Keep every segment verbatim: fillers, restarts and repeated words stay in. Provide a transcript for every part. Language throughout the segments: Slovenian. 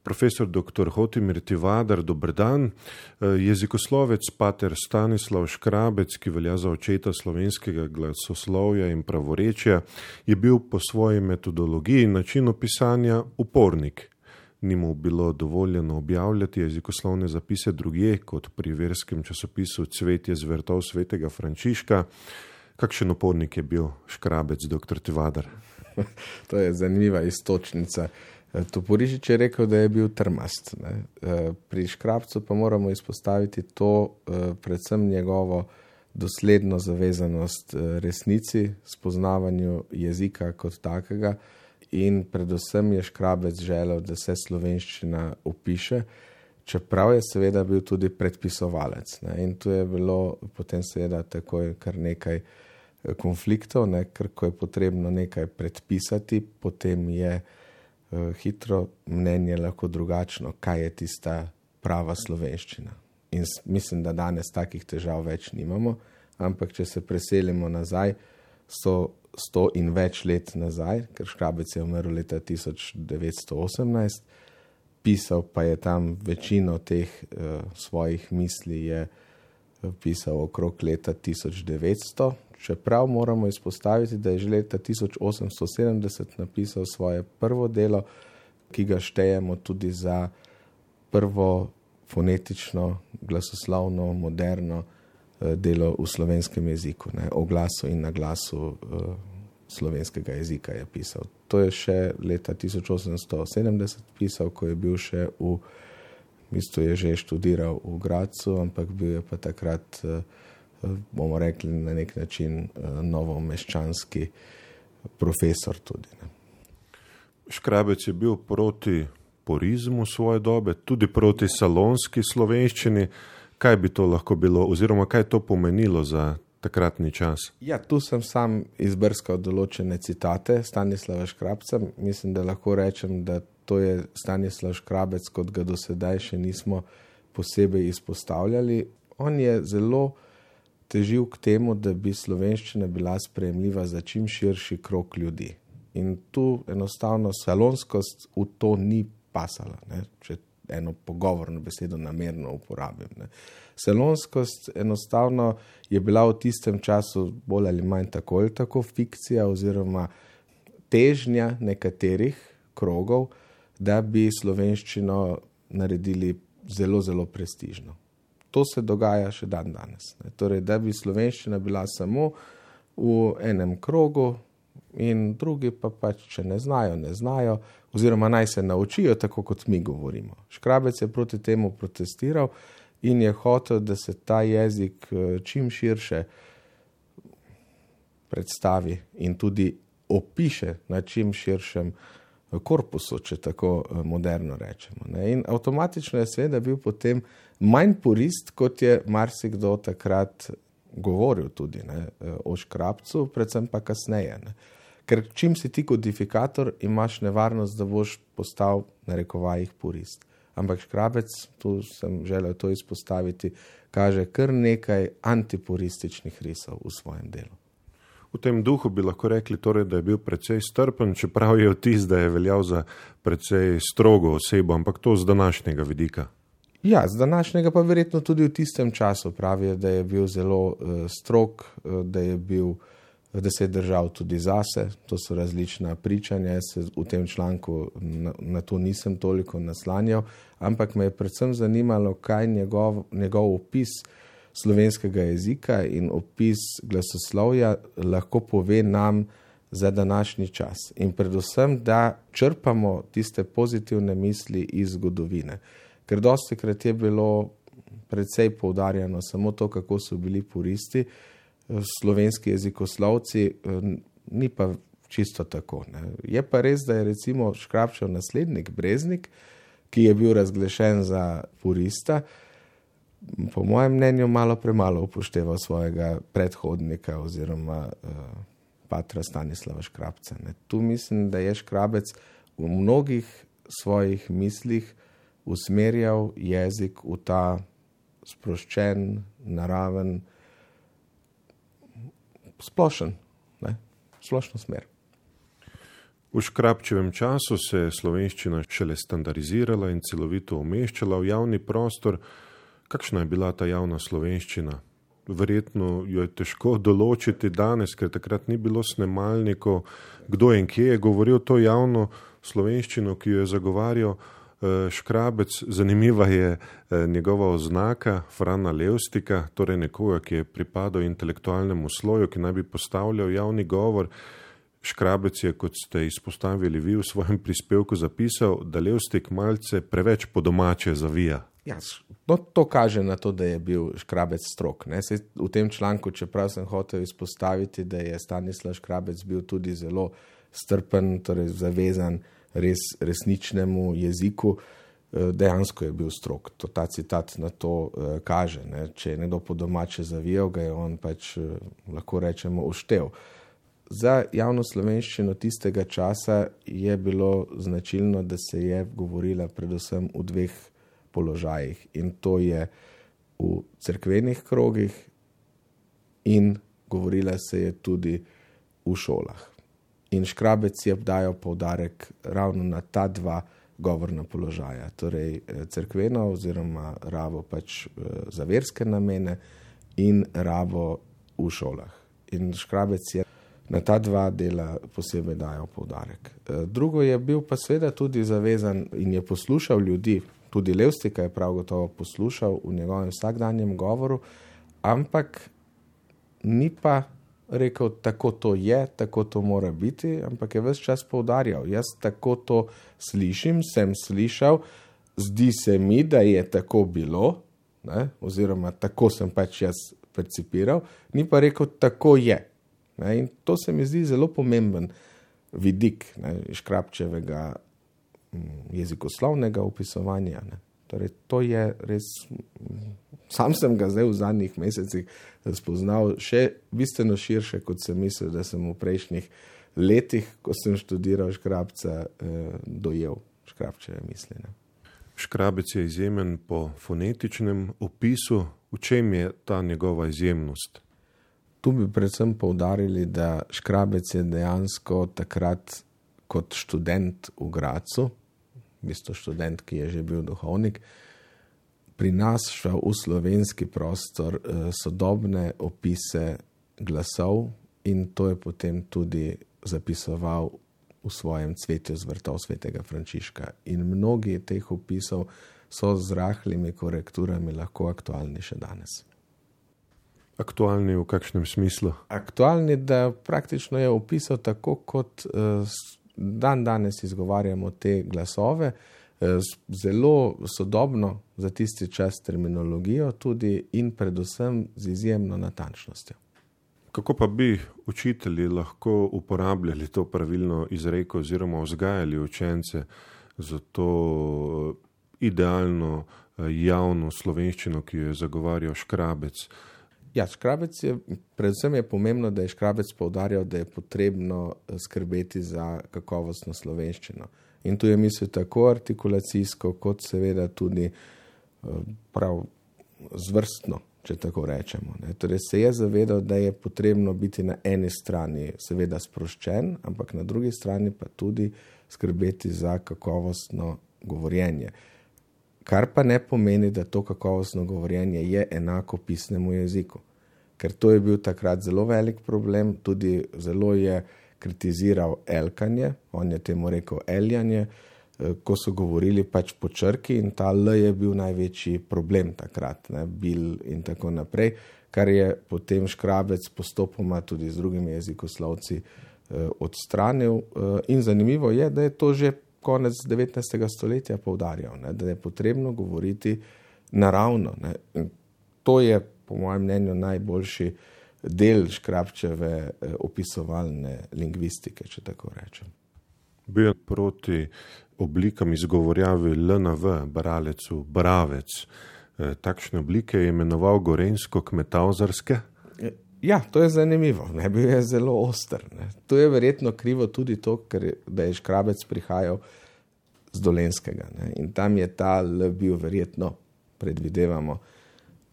Profesor doktor Hotimir Tivadar, dober dan. Jezikoslovec pater Stanislav Škrabec, ki velja za očeta slovenskega glasoslovja in pravorečja, je bil po svoji metodologiji in načinu pisanja upornik. Ni mu bilo dovoljeno objavljati jezikoslovne zapise drugje, kot pri verskem časopisu Cvetje z vrtov svetega Frančiška. Kakšen upornik je bil Škrabec, doktor Tivadar? To je zanimiva istočnica. Toporišič je rekel, da je bil trmast. Ne. Pri Škrabcu pa moramo izpostaviti to, predvsem njegovo dosledno zavezanost resnici, spoznavanju jezika kot takega, in predvsem je Škrabec želel, da se slovenščina opiše, čeprav je seveda bil tudi predpisovalec. Ne. In tu je bilo potem seveda takoj kar nekaj konfliktov, ne, ker ko je potrebno nekaj predpisati, potem je hitro mnenje lahko drugačno, kaj je tista prava slovenščina. In mislim, da danes takih težav več nimamo, ampak če se preselimo nazaj, so sto in več let nazaj, ker Škrabec je umrl leta tisoč devetsto osemnajst, pisal pa je tam večino teh uh, svojih misli je pisal okrog leta tisoč devetsto, čeprav moramo izpostaviti, da je že leta tisoč osemsto sedemdeset napisal svoje prvo delo, ki ga štejemo tudi za prvo fonetično, glasoslovno, moderno delo v slovenskem jeziku. Ne, o glasu in naglasu uh, slovenskega jezika je pisal. To je še leta tisoč osemsto sedemdeset pisal, ko je bil še v, v bistvu je že študiral v Gradcu, ampak bil je pa takrat uh, bomo rekli na nek način novomeščanski profesor tudi. Ne. Škrabec je bil proti purizmu svoje dobe, tudi proti salonski slovenščini. Kaj bi to lahko bilo, oziroma kaj to pomenilo za takratni čas? Ja, tu sem sam izbrskal določene citate Stanislava Škrabca. Mislim, da lahko rečem, da to je Stanislav Škrabec, kot ga do sedaj še nismo posebej izpostavljali. On je zelo težil k temu, da bi slovenščina bila sprejemljiva za čim širši krog ljudi. In tu enostavno salonskost v to ni pasala, ne? Če eno pogovorno besedo namerno uporabim. Ne? Salonskost enostavno je bila v tistem času bolj ali manj tako ali tako fikcija oziroma težnja nekaterih krogov, da bi slovenščino naredili zelo, zelo prestižno. To se dogaja še dan danes. Ne. Torej, da bi slovenščina bila samo v enem krogu in drugi pa pač, če ne znajo, ne znajo, oziroma naj se naučijo tako, kot mi govorimo. Škrabec je proti temu protestiral in je hotel, da se ta jezik čim širše predstavi in tudi opiše na čim širšem korpusu, če tako moderno rečemo. Ne. In avtomatično je seveda bil potem manj purist, kot je marsikdo takrat govoril tudi, ne, o Škrabcu, predvsem pa kasneje. Ne. Ker čim si ti kodifikator, imaš nevarnost, da boš postal na rekovajih purist. Ampak Škrabec, tu sem želel to izpostaviti, kaže kar nekaj antipurističnih risov v svojem delu. V tem duhu bi lahko rekli, torej, da je bil precej strpen, čeprav je vtis, da je veljal za precej strogo osebo, ampak to z današnjega vidika. Ja, z današnjega pa verjetno tudi v tistem času pravijo, da je bil zelo uh, strog, uh, da je bil, da se je držal tudi zase. To so različna pričanja, jaz se v tem članku na, na to nisem toliko naslanjal, ampak me je predvsem zanimalo, kaj njegov, njegov opis slovenskega jezika in opis glasoslovja lahko pove nam za današnji čas. In predvsem, da črpamo tiste pozitivne misli iz zgodovine. Ker dostikrat je bilo precej poudarjano samo to, kako so bili puristi, slovenski jezikoslovci, ni pa čisto tako. Ne. Je pa res, da je recimo Škrabčev naslednik Breznik, ki je bil razglašen za purista, po mojem mnenju malo premalo upošteval svojega predhodnika oziroma uh, patra Stanislava Škrabca. Ne. Tu mislim, da je Škrabec v mnogih svojih mislih usmerjal jezik v ta sproščen, naraven, splošen, ne, splošno smer. V Škrabčevem času se je slovenščina šele standardizirala in celovito umeščala v javni prostor. Kakšna je bila ta javna slovenščina? Verjetno jo je težko določiti danes, ker takrat ni bilo snemalnikov. Kdo in kje je govoril to javno slovenščino, ki jo je zagovarjal Škrabec? Zanimiva je njegova oznaka Frana Levstika, torej nekoga, ki je pripadal intelektualnemu sloju, ki naj bi postavljal javni govor. Škrabec je, kot ste izpostavili vi v svojem prispevku, zapisal, da Levstik malce preveč po domače zavija. Ja, no, to kaže na to, da je bil Škrabec strok. Ne? Sej v tem članku, čeprav sem hotel izpostaviti, da je Stanislav Škrabec bil tudi zelo strpen, torej zavezan res resničnemu jeziku, dejansko je bil strok. To, ta citat na to uh, kaže. Ne? Če je nekdo po domače zavijal, ga je on pač, uh, lahko rečemo, uštev. Za javno slovenščino tistega časa je bilo značilno, da se je govorila predvsem v dveh položajih. In to je v cerkvenih krogih in govorila se je tudi v šolah. In Škrabec je dajal poudarek ravno na ta dva govorna položaja. Torej cerkveno oziroma rabo pač za verske namene in rabo v šolah. In Škrabec je na ta dva dela posebej dajal poudarek. Drugo je bil pa seveda tudi zavezan in je poslušal ljudi, tudi Levstika je prav gotovo poslušal v njegovem vsakdanjem govoru, ampak ni pa rekel, tako to je, tako to mora biti, ampak je ves čas poudarjal, jaz tako to slišim, sem slišal, zdi se mi, da je tako bilo, ne, oziroma tako sem pač jaz percipiral, ni pa rekel, tako je. Ne, in to se mi zdi zelo pomemben vidik ne, Škrabčevega jezikoslovnega opisovanja. Ne. Torej, to je res, sam sem ga zdaj v zadnjih mesecih spoznal še bistveno širše, kot sem mislil, da sem v prejšnjih letih, ko sem študiral Škrabca, eh, dojel Škrabčeve misli. Ne. Škrabec je izjemen po fonetičnem opisu. V čem je ta njegova izjemnost? Tu bi predvsem poudarili, da Škrabec je dejansko takrat kot študent v Gradcu, v bistvu študent, ki je že bil duhovnik, prinašal v slovenski prostor eh, sodobne opise glasov in to je potem tudi zapisoval v svojem Cvetju z vrtov svetega Frančiška. In mnogi teh opisov so z rahlimi korekturami lahko aktualni še danes. Aktualni v kakšnem smislu? Aktualni, da praktično je opisal tako, kot uh, dan danes izgovarjamo te glasove, uh, zelo sodobno za tisti čas terminologijo tudi in predvsem z izjemno natančnostjo. Kako pa bi učitelji lahko uporabljali to pravilno izreko oziroma vzgajali učence za to idealno javno slovenščino, ki jo je zagovarjal Škrabec? Ja, Škrabec je, predvsem je pomembno, da je Škrabec poudarjal, da je potrebno skrbeti za kakovostno slovenščino. In tu je mislil tako artikulacijsko, kot seveda tudi prav zvrstno, če tako rečemo. Ne. Torej se je zavedal, da je potrebno biti na eni strani seveda sproščen, ampak na drugi strani pa tudi skrbeti za kakovostno govorjenje. Kar pa ne pomeni, da to kakovostno govorjenje je enako pisnemu jeziku. Ker to je bil takrat zelo velik problem, tudi zelo je kritiziral elkanje, on je temu rekel eljanje, ko so govorili pač po črki in ta L je bil največji problem takrat, ne, bil in tako naprej, kar je potem Škrabec postopoma tudi z drugimi jezikoslovci eh, odstranil. Eh, in zanimivo je, da je to že konec devetnajstega stoletja poudarjal, ne, da je potrebno govoriti naravno. Ne. To je, po mojem mnenju, najboljši del Škrabčeve eh, opisovalne lingvistike, če tako rečem. Bil je proti oblikam izgovorjavi L na V, bralecu, bravec. E, takšne oblike je imenoval gorensko-kmetavzarske? Ja, to je zanimivo. Ne, bil je zelo oster. Ne. To je verjetno krivo tudi to, ker je, da je Škrabec prihajal z Dolenskega. Ne. In tam je ta L bil verjetno, predvidevamo,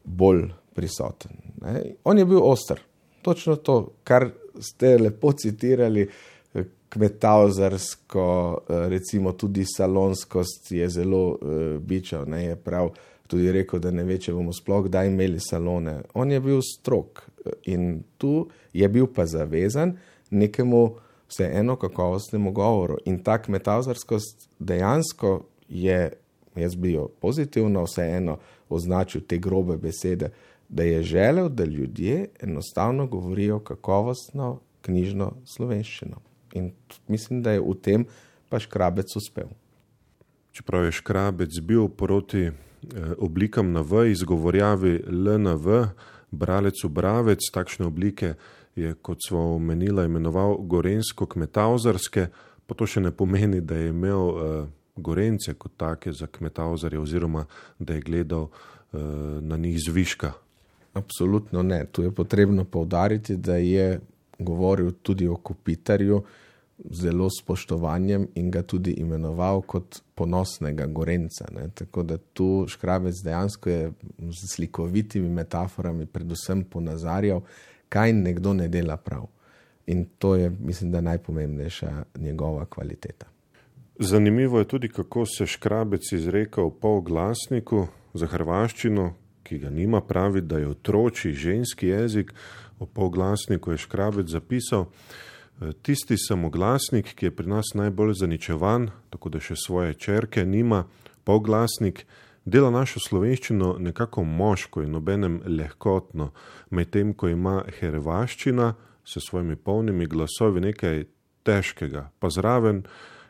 bolj prisoten. Ne. On je bil oster. Točno to, kar ste lepo citirali, kmetavzarsko, recimo tudi salonskost je zelo bičal, ne, je prav tudi rekel, da ne ve, če bomo sploh kdaj imeli salone. On je bil strog in tu je bil pa zavezan nekemu vseeno kakovostnemu govoru. In ta kmetavzarskost dejansko je, jaz bi jo pozitivno vseeno označil te grobe besede, da je želel, da ljudje enostavno govorijo kakovostno knjižno slovenščino. In mislim, da je v tem pa Škrabec uspel. Čeprav je Škrabec bil proti eh, oblikam na V, izgovorjavi L na V, bralec v bravec, takšne oblike je, kot smo omenila, imenoval gorensko-kmetavzarske, pa to še ne pomeni, da je imel eh, Gorence kot take za kmetavzarje oziroma da je gledal eh, na njih zviška. Absolutno ne. Tu je potrebno poudariti, da je govoril tudi o Kopitarju zelo spoštovanjem in ga tudi imenoval kot ponosnega Gorenca. Ne. Tako da tu Škrabec dejansko je z slikovitimi metaforami predvsem ponazarjal, kaj nekdo ne dela prav. In to je, mislim, da najpomembnejša njegova kvaliteta. Zanimivo je tudi, kako se Škrabec izreka v polglasniku za hrvaščino, ki ga nima, pravi, da je otročji ženski jezik. V polglasniku je Škrabec zapisal: tisti samoglasnik, ki je pri nas najbolj zaničevan, tako da še svoje čerke nima, polglasnik, dela našo slovenščino nekako moško in obenem lahkotno, medtem ko ima hrvaščina s svojimi polnimi glasovi nekaj težkega, pa zraven,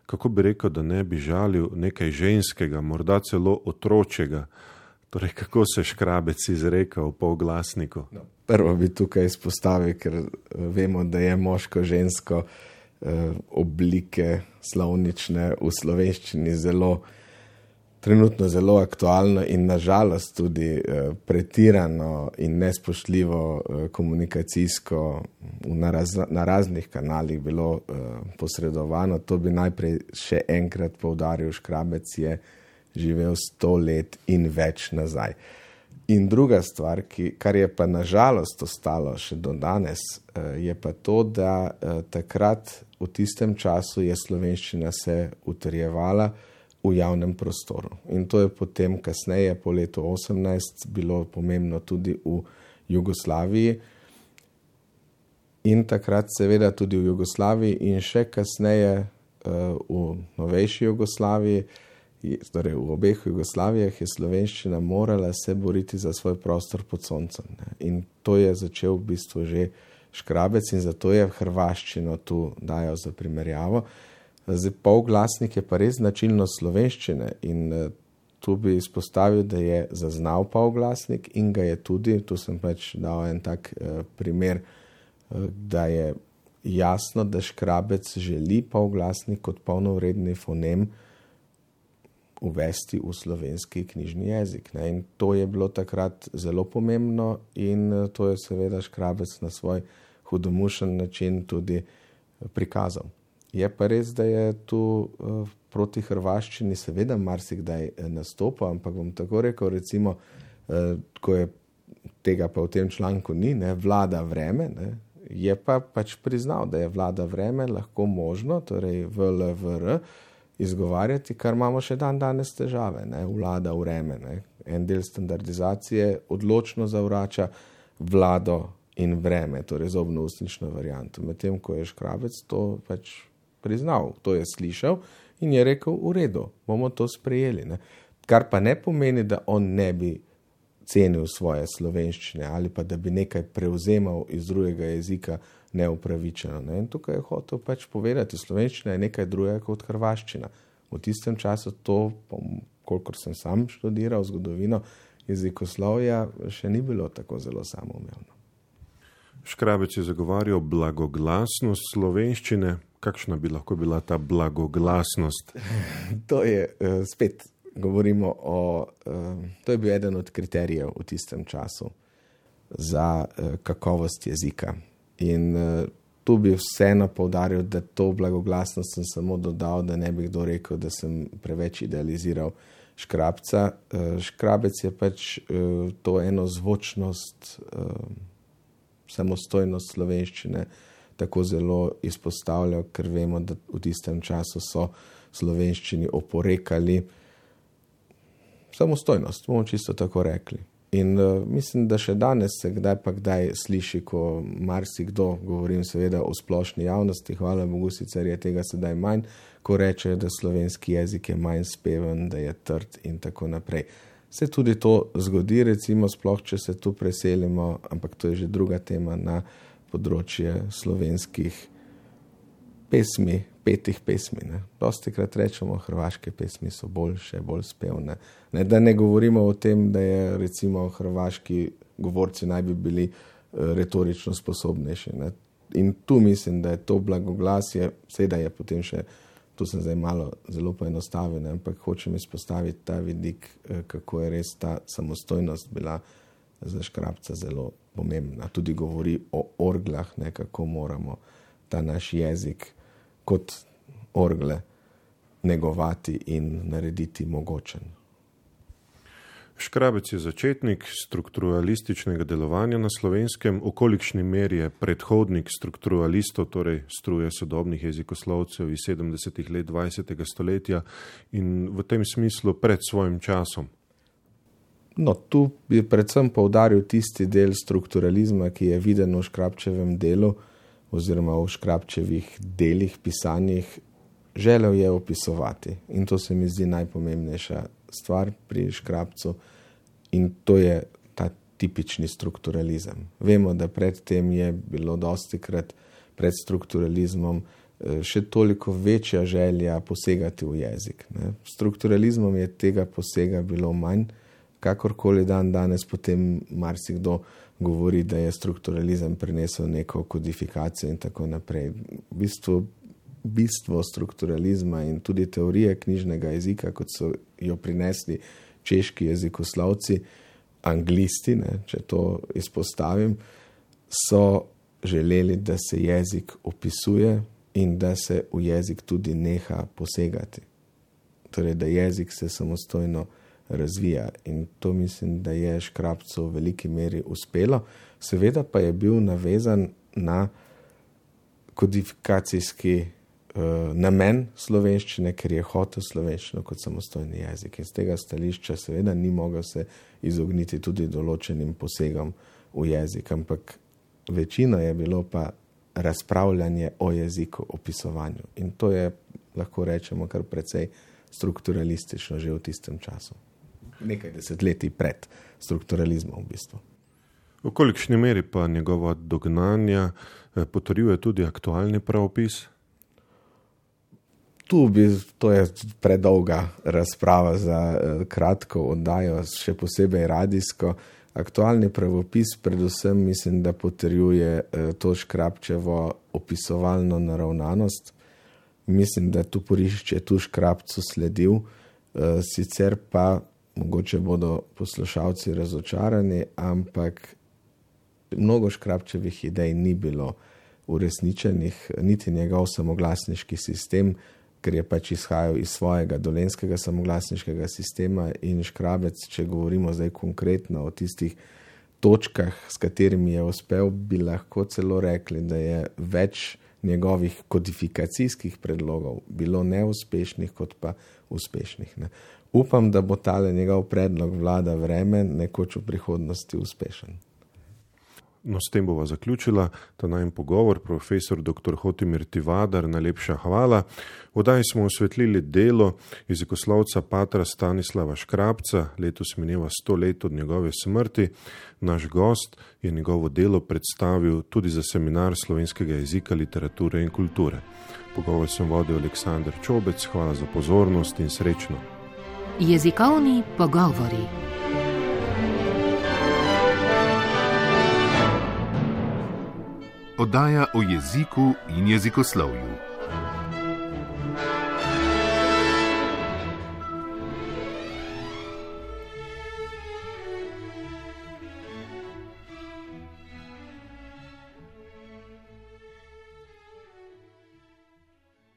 kako bi rekel, da ne bi žalil, nekaj ženskega, morda celo otročjega. Torej, kako se Škrabec izreka v polglasniku? No, prvo bi tukaj izpostavil, ker vemo, da je moško-žensko eh, oblike slovnične v slovenščini zelo, trenutno zelo aktualno in nažalost tudi eh, pretirano in nespoštljivo eh, komunikacijsko na, raz, na raznih kanalih bilo eh, posredovano. To bi najprej še enkrat poudaril, Škrabec je živel sto let in več nazaj. In druga stvar, ki, kar je pa nažalost ostalo še do danes, je pa to, da takrat v tistem času je slovenščina se utrjevala v javnem prostoru. In to je potem kasneje, po letu osemnajst, bilo pomembno tudi v Jugoslaviji. In takrat seveda tudi v Jugoslaviji in še kasneje v novejši Jugoslaviji, torej v obeh Jugoslavijah, je slovenščina morala se boriti za svoj prostor pod soncem. Ne. In to je začel v bistvu že Škrabec in zato je hrvaščino tu dajal za primerjavo. Zdaj, polglasnik je pa res značilnost slovenščine in tu bi izpostavil, da je zaznal polglasnik in ga je tudi, tu sem pač dal en tak eh, primer, eh, da je jasno, da Škrabec želi polglasnik kot polnovredni fonem uvesti v slovenski knjižni jezik. Ne. In to je bilo takrat zelo pomembno in to je seveda Škrabec na svoj hudomušen način tudi prikazal. Je pa res, da je tu uh, proti hrvaščini seveda marsikdaj nastopal, ampak bom tako rekel, recimo, uh, ko je tega pa v tem članku ni, ne, vlada vreme, ne, je pa pač priznal, da je vlada vreme lahko možno, torej V L V R, izgovarjati, kar imamo še dan danes težave, ne, vlada vreme. Ne. En del standardizacije odločno zavrača vlado in vreme, torej zobno-ustnično varianto. Medtem, ko je Škrabec to pač priznal, to je slišal in je rekel, v redu, bomo to sprejeli. Ne. Kar pa ne pomeni, da on ne bi cenil svoje slovenščine ali pa da bi nekaj prevzemal iz drugega jezika neupravičeno. Ne. In tukaj je hotel pač povedati, slovenščina je nekaj drugega kot hrvaščina. V tistem času to, kolikor sem sam študiral zgodovino jezikoslovja, še ni bilo tako zelo samoumevno. Škrabec je zagovarjal blagoglasnost slovenščine. Kakšna bi lahko bila ta blagoglasnost? To je uh, spet, govorimo o, uh, to je bil eden od kriterijev v tistem času za uh, kakovost jezika. In uh, tu bi vseeno poudaril, da to blagoglasnost sem samo dodal, da ne bi kdo rekel, da sem preveč idealiziral Škrabca. Uh, Škrabec je pač uh, to eno zvočnost, uh, samostojnost slovenščine tako zelo izpostavljal, ker vemo, da v tistem času so slovenščini oporekali samostojnost, bomo čisto tako rekli. In uh, mislim, da še danes se kdaj pa kdaj sliši, ko marsikdo, govorim seveda o splošni javnosti, hvala Bogu, sicer je tega sedaj manj, ko rečejo, da slovenski jezik je manj speven, da je trd in tako naprej. Se tudi to zgodi, recimo sploh, če se tu preselimo, ampak to je že druga tema, na področje slovenskih pesmi, petih pesmi. Ne. Dostikrat rečemo, hrvaške pesmi so boljše, bolj spevne. Ne, da ne govorimo o tem, da je recimo hrvaški govorci naj bi bili uh, retorično sposobnejši. Ne. In tu mislim, da je to blagoglasje, seveda je potem še, tu sem zdaj malo zelo poenostavljen, ampak hočem izpostaviti ta vidik, uh, kako je res ta samostojnost bila za Škrabca zelo pomembna. Tudi govori o orglah, ne, kako moramo ta naš jezik kot orgle negovati in narediti mogočen. Škrabec je začetnik strukturalističnega delovanja na Slovenskem, v kolikšni meri je predhodnik strukturalistov, torej struje sodobnih jezikoslovcev iz sedemdesetih let dvajsetega stoletja in v tem smislu pred svojim časom. No, tu bi predvsem poudaril tisti del strukturalizma, ki je viden v Škrabčevem delu, oziroma v Škrabčevih delih, pisanjih, želel je opisovati. In to se mi zdi najpomembnejša stvar pri Škrabcu. In to je ta tipični strukturalizem. Vemo, da predtem je bilo dostikrat pred strukturalizmom še toliko večja želja posegati v jezik. Ne. Strukturalizmom je tega posega bilo manj, kakorkoli dan danes potem marsikdo govori, da je strukturalizem prinesel neko kodifikacijo in tako naprej. V bistvu, bistvo strukturalizma in tudi teorije knjižnega jezika, kot so jo prinesli češki jezikoslovci, anglisti, ne, če to izpostavim, so želeli, da se jezik opisuje in da se v jezik tudi neha posegati. Torej, da jezik se samostojno razvija in to mislim, da je Škrabcu v veliki meri uspelo. Seveda pa je bil navezan na kodifikacijski uh, namen slovenščine, ker je hotel slovenščino kot samostojni jezik. In z tega stališča seveda ni mogel se izogniti tudi določenim posegom v jezik, ampak večina je bilo pa razpravljanje o jeziku, opisovanju. In to je, lahko rečemo, kar precej strukturalistično že v tistem času. Nekaj desetletij pred strukturalizmom v bistvu. V kolikšni meri pa njegova dognanja potrjuje tudi aktualni pravopis? Tu bi, to je predolga razprava za kratko oddajo, še posebej radijsko. Aktualni pravopis predvsem mislim, da potrjuje to Škrabčevo opisovalno naravnanost. Mislim, da tu Porišič je tu Škrabcu sledil, sicer pa mogoče bodo poslušalci razočarani, ampak mnogo Škrabčevih idej ni bilo uresničenih, niti njegov samoglasniški sistem, ker je pač izhajal iz svojega dolenjskega samoglasniškega sistema in Škrabec, če govorimo zdaj konkretno o tistih točkah, s katerimi je uspel, bi lahko celo rekli, da je več njegovih kodifikacijskih predlogov bilo neuspešnih kot pa uspešnih. Ne. Upam, da bo tale njegov predlog Vlada vreme nekoč v prihodnosti uspešen. No, s tem bova zaključila ta najin pogovor. Profesor doktor Hotimir Tivadar, najlepša hvala. V oddaji smo osvetlili delo jezikoslovca patra Stanislava Škrabca, letos mineva sto let od njegove smrti. Naš gost je njegovo delo predstavil tudi za seminar slovenskega jezika, literature in kulture. Pogovor sem vodil Aleksander Čobec, hvala za pozornost in srečno. Jezikovni pogovori. Oddaja o jeziku in jezikoslovju.